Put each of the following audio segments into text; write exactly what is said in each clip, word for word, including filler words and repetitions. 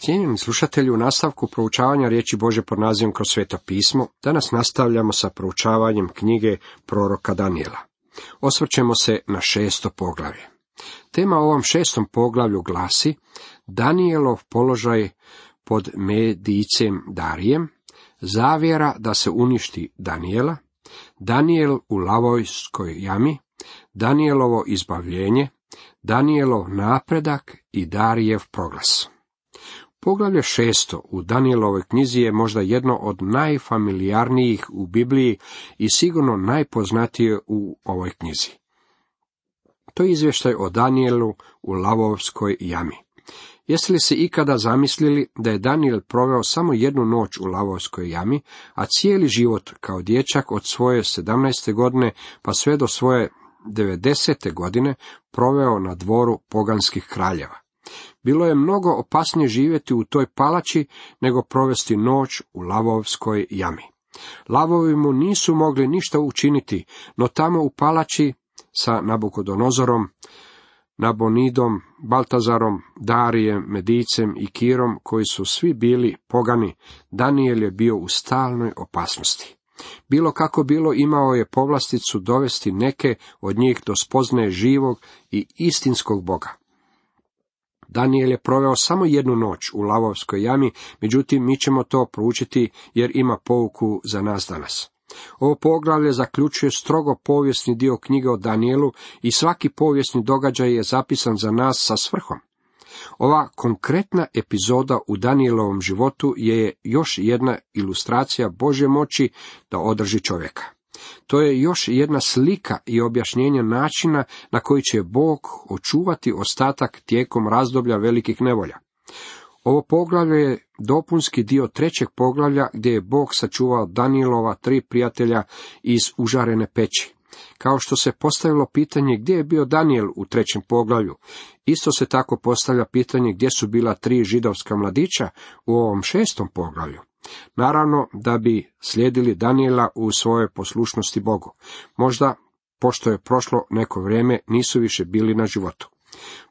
Cijenjeni slušatelji, u nastavku proučavanja riječi Božje pod nazivom Kroz sveto pismo, danas nastavljamo sa proučavanjem knjige proroka Danijela. Osvrćemo se na šesto poglavlje. Tema u ovom šestom poglavlju glasi Danijelov položaj pod Medijcem Darijem, zavjera da se uništi Danijela, Danijel u lavovskoj jami, Danijelovo izbavljenje, Danijelov napredak i Darijev proglas. Poglavlje šesto u Danijelovoj knjizi je možda jedno od najfamilijarnijih u Bibliji i sigurno najpoznatije u ovoj knjizi. To je izvještaj o Danijelu u lavovskoj jami. Jeste li se ikada zamislili da je Danijel proveo samo jednu noć u lavovskoj jami, a cijeli život kao dječak od svoje sedamnaeste godine pa sve do svoje devedesete godine proveo na dvoru poganskih kraljeva? Bilo je mnogo opasnije živjeti u toj palači nego provesti noć u lavovskoj jami. Lavovi mu nisu mogli ništa učiniti, no tamo u palači sa Nabukodonozorom, Nabonidom, Baltazarom, Darijem, Medijcem i Kirom, koji su svi bili pogani, Danijel je bio u stalnoj opasnosti. Bilo kako bilo, imao je povlasticu dovesti neke od njih do spoznaje živog i istinskog Boga. Danijel je proveo samo jednu noć u lavovskoj jami, međutim mi ćemo to proučiti jer ima pouku za nas danas. Ovo poglavlje zaključuje strogo povijesni dio knjige o Danijelu i svaki povijesni događaj je zapisan za nas sa svrhom. Ova konkretna epizoda u Danijelovom životu je još jedna ilustracija Božje moći da održi čovjeka. To je još jedna slika i objašnjenje načina na koji će Bog očuvati ostatak tijekom razdoblja velikih nevolja. Ovo poglavlje je dopunski dio trećeg poglavlja gdje je Bog sačuvao Danijelova tri prijatelja iz užarene peći. Kao što se postavilo pitanje gdje je bio Danijel u trećem poglavlju, isto se tako postavlja pitanje gdje su bila tri židovska mladića u ovom šestom poglavlju. Naravno da bi slijedili Danijela u svojoj poslušnosti Bogu. Možda, pošto je prošlo neko vrijeme, nisu više bili na životu.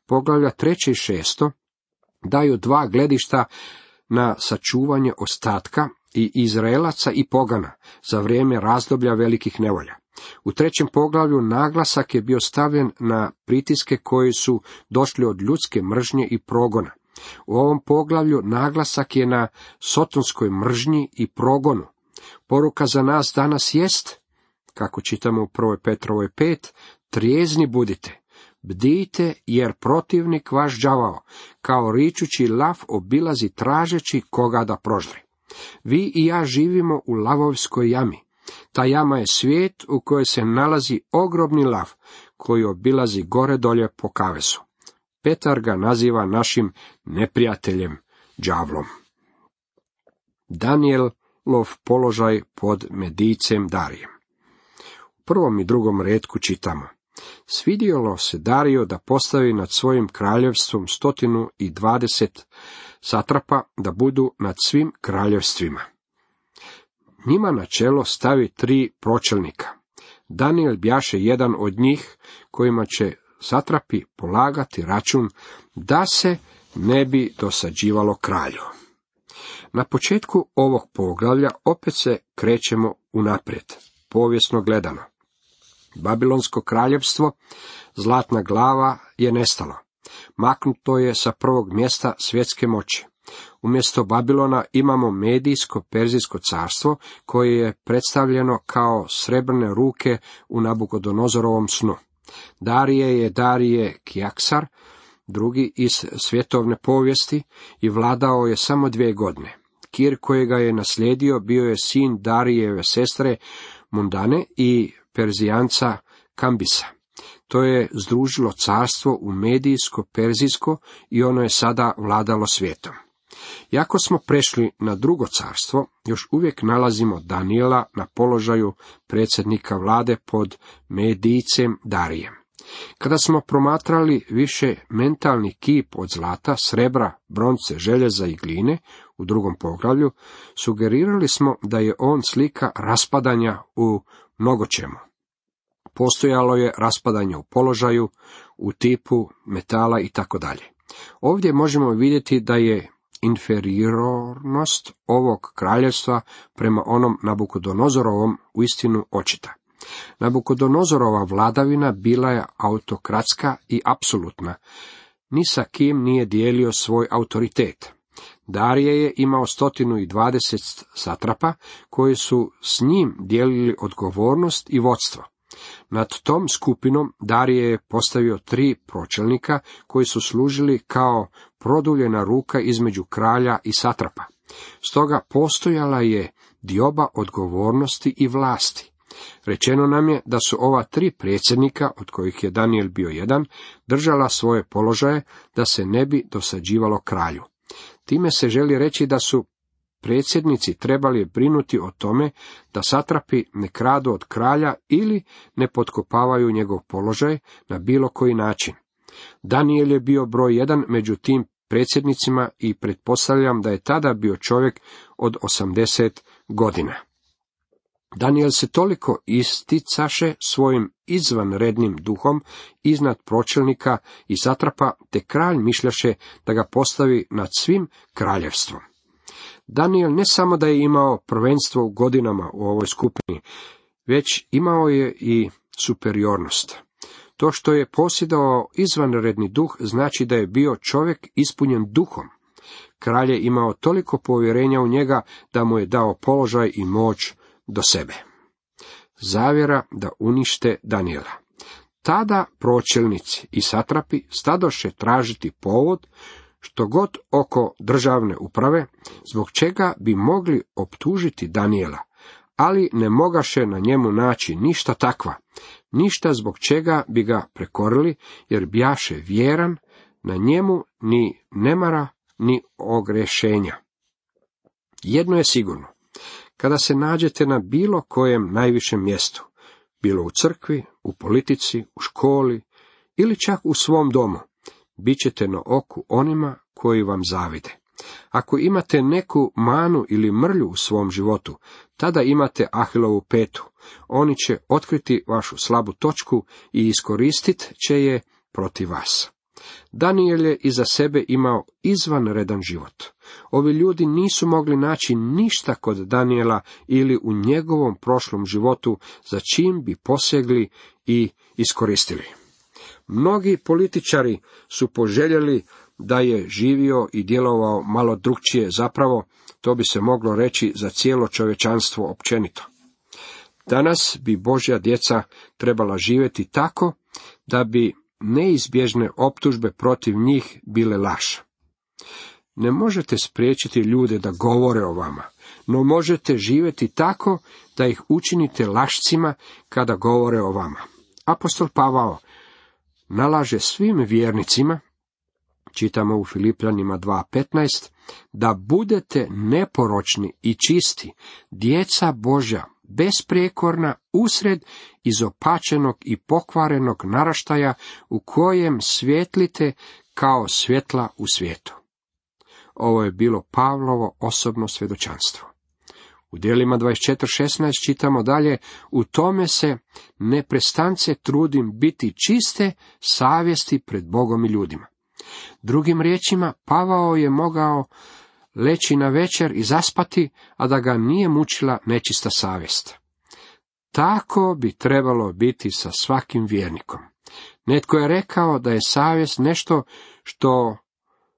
Poglavlja treće i šesto daju dva gledišta na sačuvanje ostatka i Izraelaca i pogana za vrijeme razdoblja velikih nevolja. U trećem poglavlju naglasak je bio stavljen na pritiske koji su došli od ljudske mržnje i progona. U ovom poglavlju naglasak je na sotonskoj mržnji i progonu. Poruka za nas danas jest, kako čitamo u prvoj Petrovoj pet, trijezni budite, bdijte jer protivnik vaš đavao, kao ričući lav obilazi tražeći koga da proždri. Vi i ja živimo u lavovskoj jami. Ta jama je svijet u kojoj se nalazi ogromni lav koji obilazi gore dolje po kavezu. Petar ga naziva našim neprijateljem, đavlom. Danijelov položaj pod Medijcem Darijem. U prvom i drugom retku čitamo: Svidjelo se Dariju da postavi nad svojim kraljevstvom stotinu i dvadeset satrapa da budu nad svim kraljevstvima. Njima na čelo stavi tri pročelnika. Danijel bjaše jedan od njih kojima će satrapi polagati račun da se ne bi dosađivalo kralju. Na početku ovog poglavlja opet se krećemo unaprijed, povijesno gledano. Babilonsko kraljevstvo, zlatna glava, je nestalo. Maknuto je sa prvog mjesta svjetske moći. Umjesto Babilona imamo Medijsko-Perzijsko carstvo koje je predstavljeno kao srebrne ruke u Nabukodonozorovom snu. Darije je Darije Kjaksar, drugi iz svjetovne povijesti, i vladao je samo dvije godine. Kir kojega je naslijedio bio je sin Darijeve sestre Mundane i Perzijanca Kambisa. To je združilo carstvo u Medijsko-Perzijsko i ono je sada vladalo svijetom. Iako smo prešli na drugo carstvo, još uvijek nalazimo Danijela na položaju predsjednika vlade pod Medijcem Darijem. Kada smo promatrali više mentalni kip od zlata, srebra, bronce, željeza i gline u drugom poglavlju, sugerirali smo da je on slika raspadanja u mnogočemu. Postojalo je raspadanje u položaju, u tipu metala i tako dalje. Ovdje možemo vidjeti da je inferiornost ovog kraljevstva prema onom Nabukodonozorovom uistinu očita. Nabukodonozorova vladavina bila je autokratska i apsolutna, ni sa kim nije dijelio svoj autoritet. Darije je imao stotinu i dvadeset satrapa koji su s njim dijelili odgovornost i vodstvo. Nad tom skupinom Darije je postavio tri pročelnika koji su služili kao produljena ruka između kralja i satrapa. Stoga postojala je dioba odgovornosti i vlasti. Rečeno nam je da su ova tri predsjednika, od kojih je Danijel bio jedan, držala svoje položaje da se ne bi dosađivalo kralju. Time se želi reći da su predsjednici trebali brinuti o tome da satrapi ne kradu od kralja ili ne potkopavaju njegov položaj na bilo koji način. Danijel je bio broj jedan među tim predsjednicima i pretpostavljam da je tada bio čovjek od osamdeset godina. Danijel se toliko isticaše svojim izvanrednim duhom iznad pročelnika i satrapa, te kralj mišljaše da ga postavi nad svim kraljevstvom. Danijel ne samo da je imao prvenstvo u godinama u ovoj skupini, već imao je i superiornost. To što je posjedovao izvanredni duh znači da je bio čovjek ispunjen duhom. Kralj je imao toliko povjerenja u njega da mu je dao položaj i moć do sebe. Zavjera da unište Danijela. Tada pročelnici i satrapi stadoše tražiti povod, što god oko državne uprave, zbog čega bi mogli optužiti Danijela, ali ne mogaše na njemu naći ništa takva, ništa zbog čega bi ga prekorili, jer bjaše vjeran, na njemu ni nemara, ni ogrešenja. Jedno je sigurno, kada se nađete na bilo kojem najvišem mjestu, bilo u crkvi, u politici, u školi ili čak u svom domu, bit ćete na oku onima koji vam zavide. Ako imate neku manu ili mrlju u svom životu, tada imate Ahilovu petu. Oni će otkriti vašu slabu točku i iskoristit će je protiv vas. Danijel je iza sebe imao izvanredan život. Ovi ljudi nisu mogli naći ništa kod Danijela ili u njegovom prošlom životu za čim bi posegli i iskoristili. Mnogi političari su poželjeli da je živio i djelovao malo drukčije, zapravo to bi se moglo reći za cijelo čovječanstvo općenito. Danas bi Božja djeca trebala živjeti tako da bi neizbježne optužbe protiv njih bile laž. Ne možete spriječiti ljude da govore o vama, no možete živjeti tako da ih učinite lašcima kada govore o vama. Apostol Pavao nalaže svim vjernicima, čitamo u Filipljanima dva petnaest, da budete neporočni i čisti, djeca Božja, besprijekorna, usred izopačenog i pokvarenog naraštaja u kojem svjetlite kao svjetla u svijetu. Ovo je bilo Pavlovo osobno svjedočanstvo. U djelima dvadeset četiri šesnaest čitamo dalje, u tome se neprestance trudim biti čiste savjesti pred Bogom i ljudima. Drugim riječima, Pavao je mogao leći na večer i zaspati, a da ga nije mučila nečista savjest. Tako bi trebalo biti sa svakim vjernikom. Netko je rekao da je savjest nešto što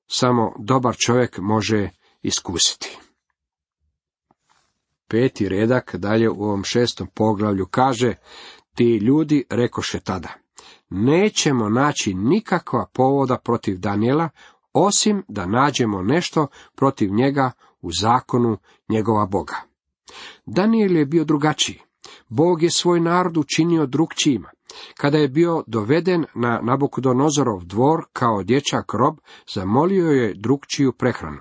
samo dobar čovjek može iskusiti. Peti redak dalje u ovom šestom poglavlju kaže, ti ljudi rekoše tada, nećemo naći nikakva povoda protiv Danijela, osim da nađemo nešto protiv njega u zakonu njegova Boga. Danijel je bio drugačiji. Bog je svoj narod učinio drukčijima. Kada je bio doveden na Nabukodonozorov dvor kao dječak rob, zamolio je drukčiju prehranu.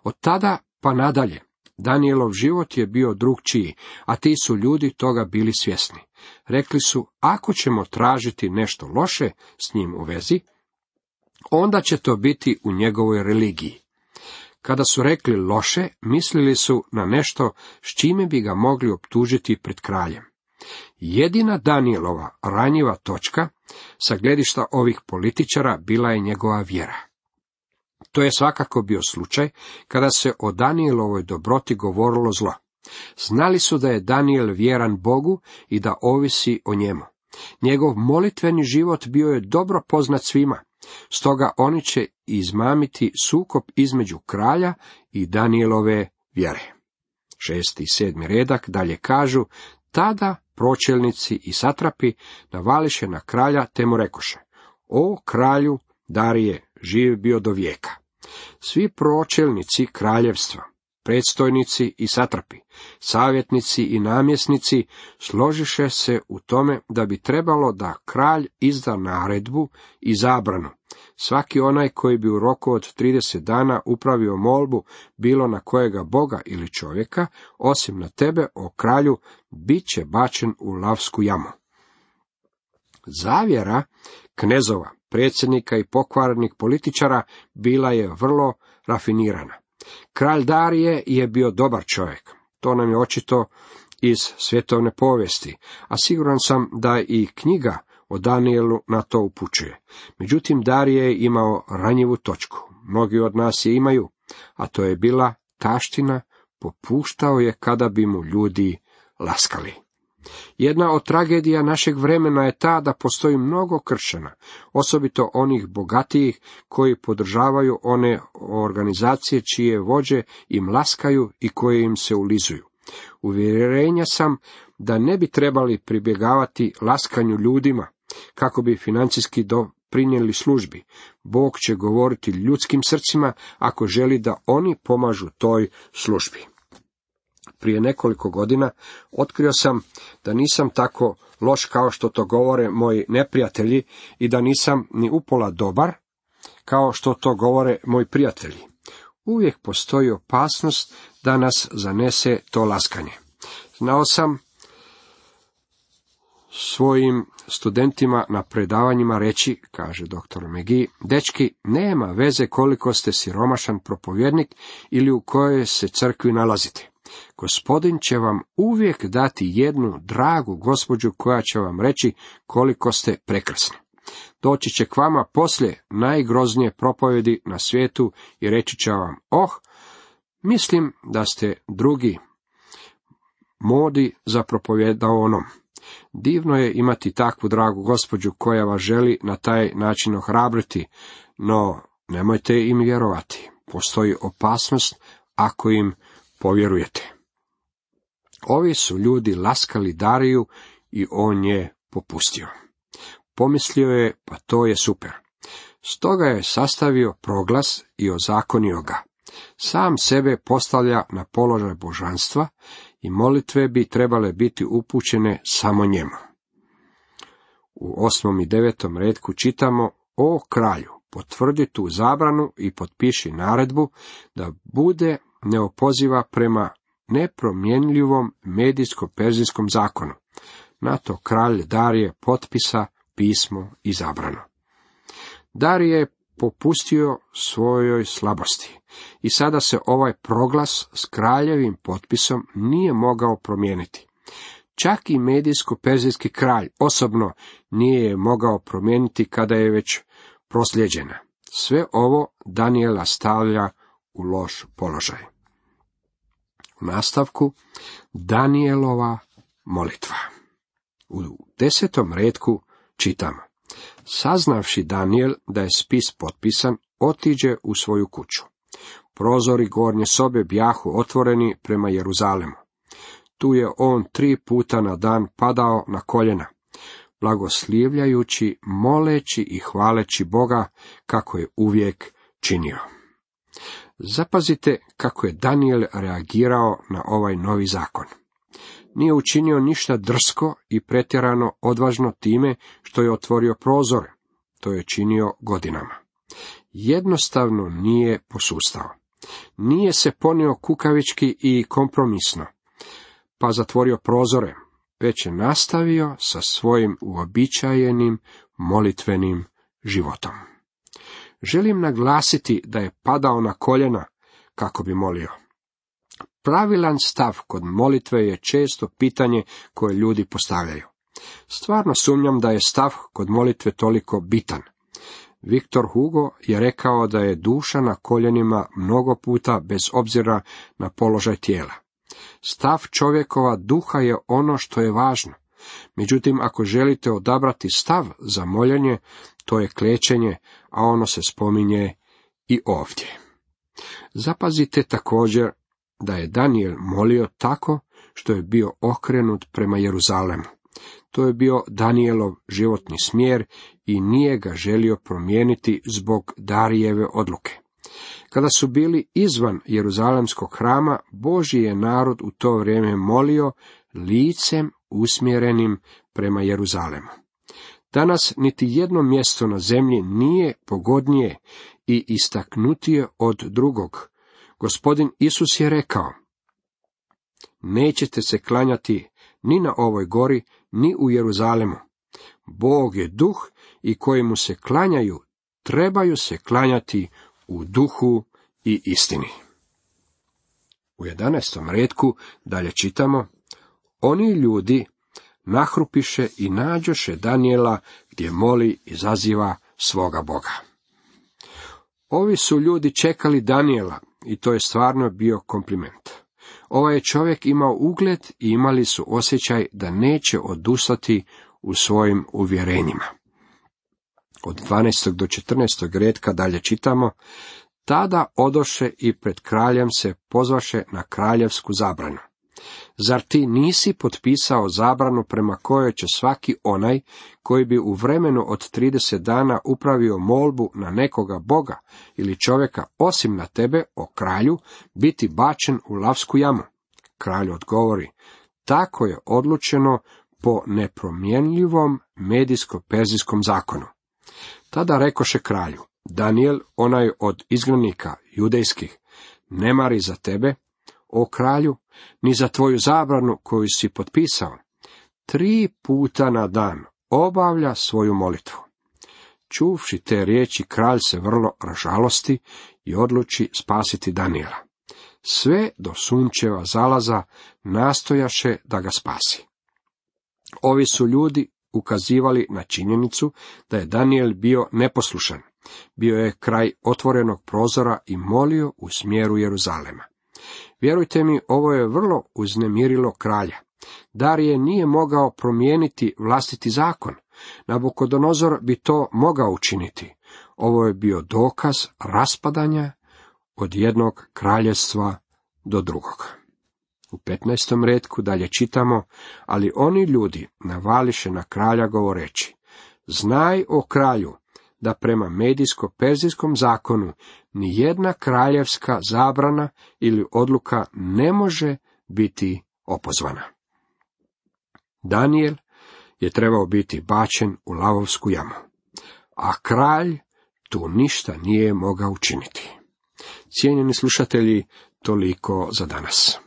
Od tada pa nadalje, Danijelov život je bio drukčiji, a ti su ljudi toga bili svjesni. Rekli su, ako ćemo tražiti nešto loše s njim u vezi, onda će to biti u njegovoj religiji. Kada su rekli loše, mislili su na nešto s čime bi ga mogli optužiti pred kraljem. Jedina Danijelova ranjiva točka sa gledišta ovih političara bila je njegova vjera. To je svakako bio slučaj kada se o Danijelovoj dobroti govorilo zlo. Znali su da je Danijel vjeran Bogu i da ovisi o njemu. Njegov molitveni život bio je dobro poznat svima, stoga oni će izmamiti sukob između kralja i Danijelove vjere. Šesti i sedmi redak dalje kažu, tada pročelnici i satrapi navališe na kralja te mu rekoše, o kralju Darije, živ bio do vijeka. Svi pročelnici kraljevstva, predstojnici i satrapi, savjetnici i namjesnici složiše se u tome da bi trebalo da kralj izda naredbu i zabranu. Svaki onaj koji bi u roku od trideset dana upravio molbu, bilo na kojega Boga ili čovjeka, osim na tebe, o kralju, bit će bačen u lavsku jamu. Zavjera knezova, predsjednika i pokvarenih političara bila je vrlo rafinirana. Kralj Darije je bio dobar čovjek. To nam je očito iz svjetovne povijesti, a siguran sam da i knjiga o Danijelu na to upućuje. Međutim, Darije je imao ranjivu točku. Mnogi od nas je imaju, a to je bila taština, popuštao je kada bi mu ljudi laskali. Jedna od tragedija našeg vremena je ta da postoji mnogo kršćana, osobito onih bogatijih koji podržavaju one organizacije čije vođe im laskaju i koje im se ulizuju. Uvjerenja sam da ne bi trebali pribjegavati laskanju ljudima kako bi financijski doprinijeli službi. Bog će govoriti ljudskim srcima ako želi da oni pomažu toj službi. Prije nekoliko godina otkrio sam da nisam tako loš kao što to govore moji neprijatelji i da nisam ni upola dobar kao što to govore moji prijatelji. Uvijek postoji opasnost da nas zanese to laskanje. Znao sam svojim studentima na predavanjima reći, kaže doktor McGee, dečki, nema veze koliko ste siromašan propovjednik ili u kojoj se crkvi nalazite. Gospodin će vam uvijek dati jednu dragu gospođu koja će vam reći koliko ste prekrasni. Doći će k vama poslije najgroznije propovjedi na svijetu i reći će vam, oh, mislim da ste drugi modi za propovjedaonom. Divno je imati takvu dragu gospođu koja vas želi na taj način ohrabriti, no nemojte im vjerovati. Postoji opasnost ako im povjerujete. Ovi su ljudi laskali Dariju i on je popustio. Pomislio je, pa to je super. Stoga je sastavio proglas i ozakonio ga. Sam sebe postavlja na položaj božanstva i molitve bi trebale biti upućene samo njemu. U osmom i devetom retku čitamo, o kralju, potvrdi tu zabranu i potpiši naredbu da bude neopoziva prema nepromjenljivom medijsko-perzijskom zakonu. Na to kralj Darije potpisa pismo i zabranu. Darije je popustio svojoj slabosti i sada se ovaj proglas s kraljevim potpisom nije mogao promijeniti. Čak i medijsko-perzijski kralj osobno nije je mogao promijeniti kada je već proslijeđena. Sve ovo Danijela stavlja u loš položaj. U nastavku Danijelova molitva. U desetom retku čitamo. Saznavši Danijel da je spis potpisan, otiđe u svoju kuću. Prozori gornje sobe bjahu otvoreni prema Jeruzalemu. Tu je on tri puta na dan padao na koljena, blagoslivljajući, moleći i hvaleći Boga kako je uvijek činio. Zapazite kako je Danijel reagirao na ovaj novi zakon. Nije učinio ništa drsko i pretjerano odvažno time što je otvorio prozore. To je činio godinama. Jednostavno nije posustao. Nije se ponio kukavički i kompromisno, pa zatvorio prozore, već je nastavio sa svojim uobičajenim molitvenim životom. Želim naglasiti da je padao na koljena kako bi molio. Pravilan stav kod molitve je često pitanje koje ljudi postavljaju. Stvarno sumnjam da je stav kod molitve toliko bitan. Viktor Hugo je rekao da je duša na koljenima mnogo puta bez obzira na položaj tijela. Stav čovjekova duha je ono što je važno. Međutim, ako želite odabrati stav za moljenje, to je klečenje, a ono se spominje i ovdje. Zapazite također da je Danijel molio tako što je bio okrenut prema Jeruzalemu. To je bio Danijelov životni smjer i nije ga želio promijeniti zbog Darijeve odluke. Kada su bili izvan Jeruzalemskog hrama, Božji je narod u to vrijeme molio licem usmjerenim prema Jeruzalemu. Danas niti jedno mjesto na zemlji nije pogodnije i istaknutije od drugog. Gospodin Isus je rekao: nećete se klanjati ni na ovoj gori, ni u Jeruzalemu. Bog je duh i koji mu se klanjaju, trebaju se klanjati u duhu i istini. U jedanaestom retku dalje čitamo: oni ljudi nahrupiše i nađoše Danijela gdje moli i zaziva svoga Boga. Ovi su ljudi čekali Danijela i to je stvarno bio kompliment. Ovaj je čovjek imao ugled i imali su osjećaj da neće odustati u svojim uvjerenjima. Od dvanaestog do četrnaestog retka dalje čitamo: tada odoše i pred kraljem se pozvaše na kraljevsku zabranu. Zar ti nisi potpisao zabranu prema kojoj će svaki onaj koji bi u vremenu od trideset dana upravio molbu na nekoga boga ili čovjeka osim na tebe, o kralju, biti bačen u lavsku jamu? Kralj odgovori: tako je odlučeno po nepromjenljivom medijsko-perzijskom zakonu. Tada rekoše kralju: Danijel, onaj od izgnanika judejskih, ne mari za tebe, o kralju, ni za tvoju zabranu koju si potpisao. Tri puta na dan obavlja svoju molitvu. Čuvši te riječi, kralj se vrlo ražalosti i odluči spasiti Danijela. Sve do sunčeva zalaza nastojaše da ga spasi. Ovi su ljudi ukazivali na činjenicu da je Danijel bio neposlušan. Bio je kraj otvorenog prozora i molio u smjeru Jeruzalema. Vjerujte mi, ovo je vrlo uznemirilo kralja. Darije nije mogao promijeniti vlastiti zakon. Nabukodonozor bi to mogao učiniti. Ovo je bio dokaz raspadanja od jednog kraljevstva do drugog. U petnaestom retku dalje čitamo: ali oni ljudi navališe na kralja govoreći: znaj, o kralju, da prema medijsko-perzijskom zakonu ni jedna kraljevska zabrana ili odluka ne može biti opozvana. Danijel je trebao biti bačen u lavovsku jamu, a kralj tu ništa nije mogao učiniti. Cijenjeni slušatelji, toliko za danas.